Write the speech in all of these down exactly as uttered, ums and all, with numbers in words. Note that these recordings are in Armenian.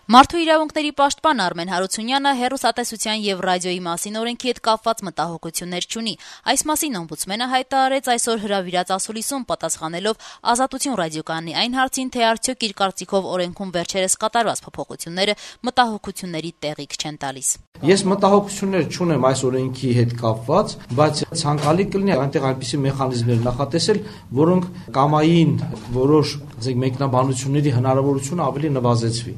Մարդու իրավունքների պաշտպան Արմեն Հարությունյանը հեռուստատեսության եւ ռադիոյի մասին օրենքի հետ կապված մտահոգություններ չունի։ Այս մասին օմբուդսմենը հայտարարեց այսօր հրավիրած ասուլիսում պատասխանելով Ազատություն ռադիոկայանի այն հարցին, թե արդյոք իր կարծիքով օրենքում վերջերս կատարված փոփոխությունները մտահոգությունների տեղիք չեն տալիս։ Ես մտահոգություններ չունեմ այս օրենքի հետ կապված, բայց ցանկալի կլինի այնտեղ այնպիսի մեխանիզմներ նախատեսել, որոնք կամային որոշ մեկնաբանությունների հնարավորությունը ավելի նվազեցվի։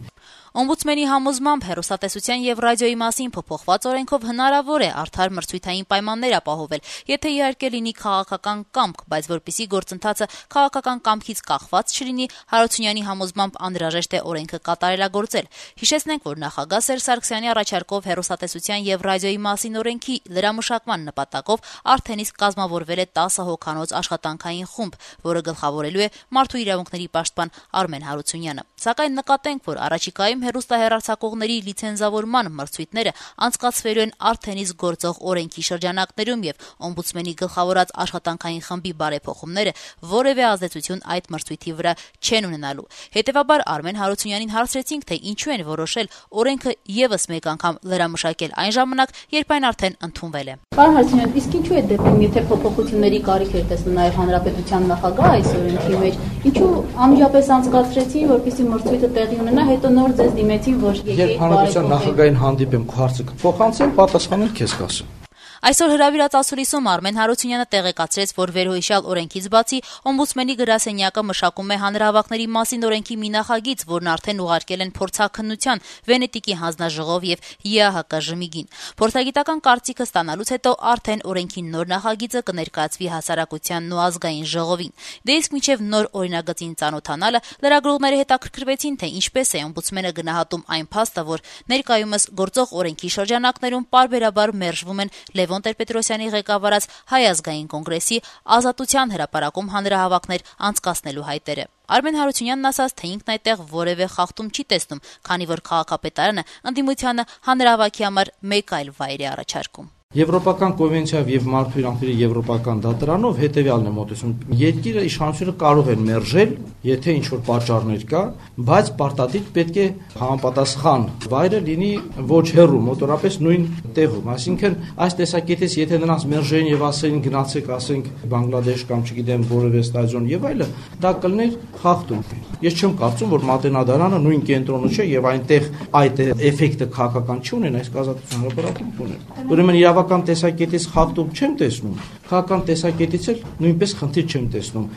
Օմբուդսմենի համոզմամբ հեռուստատեսության եւ ռադիոյի մասին փոփոխված օրենքով հնարավոր է արդար մրցույթային պայմաններ ապահովել, եթե իհարկե լինի քաղաքական կամք, բայց որպեսզի գործընթացը քաղաքական կամքից կախված չլինի, Հարությունյանի համոզմամբ անհրաժեշտ է օրենքը կատարելագործել։ Հիշեցնենք, որ նախագահ Սերժ Սարգսյանի առաջարկով հեռուստատեսության եւ ռադիոյի մասին օրենքի լրամշակման նպատակով արդեն իսկ կազմավորվել է տասը հոգանոց աշխատանքային խումբ, որը գլխավորելու է մարդու իրավունքների պաշտպան Արմեն Հարությունյանը։ Սակայն նկատենք, որ առաջիկայում հեռուստահեռարձակողների լիցենզավորման մրցույթները անցկացվելու են արդեն իսկ գործող օրենքի շրջանակներում եւ օմբուդսմենի գլխավորած աշխատանքային խմբի բարեփոխումները որևէ ազդեցություն այդ մրցույթի վրա չեն ունենալու։ Հետևաբար Արմեն Հարությունյանին հարցրեցինք, թե ինչու են որոշել օրենքը եւս մեկ անգամ լրամշակել այն ժամանակ, երբ այն արդեն ընդունվել է։ Պարոն Հարությունյան, իսկ ինչու է դեպքում, եթե փոփոխությունների կարիք էր տեսնում նաեւ հանրապետության նախագահ այս օրենքի մեջ, ինչու անմիջապես անցկացրեցին, որպեսզի մրցույթը տեղի ունենա, հետո նոր ձեզ դիմեցին, որ եկեք հանրապետության նախագահին հանդիպեմ, հարցը կփոխանցեմ, պատասխանել քեզ կասեմ։ Այսօր հրավիրած ասուլիսում Արմեն Հարությունյանը տեղեկացրեց, որ վերհոյշյալ օրենքից բացի օմբուդսմենի գրասենյակը մշակում է հանրահավաքների մասին օրենքի մի նախագիծ, որն արդեն ուղարկել են փորձաքննության Վենետիկի հանձնաժողով եւ ԵԱՀԿ ժմիգին։ Փորձագիտական կարծիքը ստանալուց հետո արդեն օրենքի նոր նախագիծը կներկայացվի հասարակությանն ու ազգային ժողովին։ Դե իսկ մինչեւ նոր օրինագծին ծանոթանալը լրագրողները հետաքրքրվեցին, թե ինչպես է օմբուդսմենը գնահատում այն փաստը, որ ներկայումս գործող օրենքի շրջանակներում պարբերաբար մերժվում են Լևոն Տեր-Պետրոսյանի ղեկավարած Հայ ազգային կոնգրեսի Ազատության հրապարակում հանրահավաքներ անցկացնելու հայտերը։ Արմեն Հարությունյանն ասաց, թե ինքն այդտեղ որևէ խախտում չի տեսնում, քանի որ քաղաքապետարանը ընդդիմությանը հանրահավաքի համար մեկ այլ վայր է առաջարկում։ Եվրոպական կոնվենցիայով եւ մարդու իրավունքների եվրոպական դատարանով հետեւյալն է մոտեցում. երկիրը իշխանությունը կարող են մերժել, եթե ինչ որ պատճառներ կա, բայց պարտադիր պետք է համապատասխան վայրը լինի ոչ հեռու, մոտորապես նույն տեղում։ Այսինքն այս տեսակետից եթե նրանց մերժեին եւ ասեին գնացեք, ասենք Բանգլադեշ կամ չգիտեմ որևէ ստադիոն եւ այլը, դա կլիներ խախտում։ Ես չեմ կարծում, որ Մատենադարանը նույն կենտրոնը չէ եւ այնտեղ այդ էֆեկտը քաղաքական չի ունեն, այս ազատության հրապարակում ունեն։ Ուրեմն իրավական տեսակետից խախտում չեմ տեսնում, քաղաքական տեսակետից էլ նույնպես խնդիր չեմ տեսնում։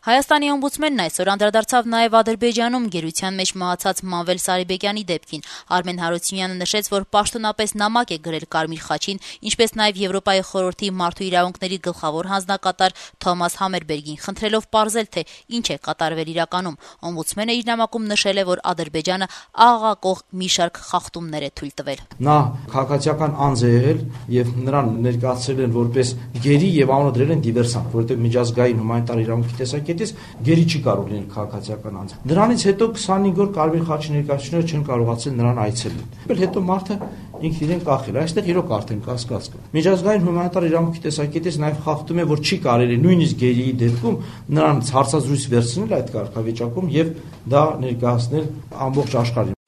Հայաստանի օմբուդսմենն այսօր անդրադարձավ նաև Ադրբեջանում գերության մեջ մահացած Մանվել Սարիբեկյանի դեպքին։ Արմեն Հարությունյանը նշեց, որ պաշտոնապես նամակ է գրել Կարմիր խաչին, ինչպես նաև Եվրոպայի խորհրդի մարդու իրավունքների գլխավոր հանձնակատար Թոմաս Համերբերգին, խնդրելով պարզել, թե ինչ է կատարվել իրականում։ Օմբուդսմենը իր նամակում նշել է, որ Ադրբեջանը աղաղակող մի շարք խախտումներ է թույլ տվել։ Նա քաղաքացիական անձ է եղել եւ նրան ներկայացրել են որպես գերի եւ անունը դրել են դիվերսանտ, որովհետեւ միջազգային հումանիտար իրավունքի տեսակետից գերի չի կարող լինել քաղաքացիական անձ։ Դրանից հետո քսանհինգ օր Կարմիր խաչի ներկայացուցիչները չեն կարողացել նրան այցելել։ Հետո մարդը ինքն իրեն կախել։ Այստեղ իրոք արդեն կասկած կա։ Միջազգային հումանիտար իրավունքի տեսակետից նաև խախտում է, որ չի կարելի նույնիսկ գերիի դեպքում նրան հարցազրույց վերցնել այդ կարգավիճակում եւ դա ներկայացնել ամբողջ աշխարհին։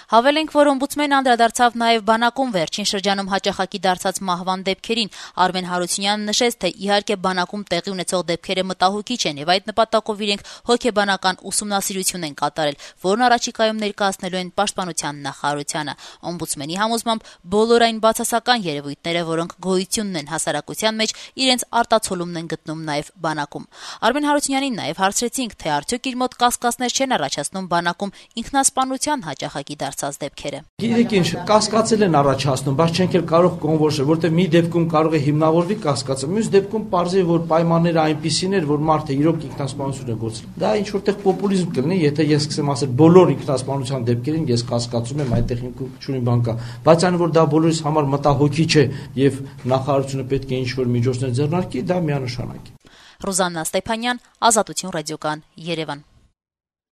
Հավելենք, որ օմբուդսմենը անդրադարձավ նաև բանակում վերջին շրջանում հաճախակի դարձած մահվան դեպքերին։ Արմեն Հարությունյանը նշեց, թե իհարկե բանակում տեղի ունեցող դեպքերը մտահոգիչ են եւ այդ նպատակով իրենք հոգեբանական ուսումնասիրություն են կատարել, որն առաջիկայում ներկայացնելու են պաշտպանության նախարարությանը։ Օմբուդսմենի համոզմամբ բոլոր այն բացասական երևույթները, որոնք գոյություն ունեն հասարակության մեջ, իրենց արտացոլումն են գտնում նաև բանակում։ Արմեն Հարությունյանին նաև հարցրեցինք, թե արդյոք իր մոտ կասկածներ չեն առաջացնում բանակում ինքնասպանության հաճախակի դարձած դեպքերը։ Գիտեք ինչ, կասկածել են առաջացնում, բայց չենք էլ կարող կոնվորշել, որտեղ մի դեպքում կարող է հիմնավորվի կասկածը, մյուս դեպքում պարզի որ պայմանները այնպիսին էր, որ մարդը իրոք ինքնասպանություն է գործել։ Դա ինչ որտեղ պոպուլիզմ կլինի, եթե ես սկսեմ ասել բոլոր ինքնասպանության դեպքերին ես կասկածում եմ, այդտեղ ինքն չունի բան կա, բայց այն որ դա բոլորիս համար մտահոգիչ է եւ նախարարությունը պետք է ինչ որ միջոցներ ձեռնարկի, դա միանշանակ է։ Ռուզաննա Ստեփանյան, Ազատություն ռադիոկան, Երևան։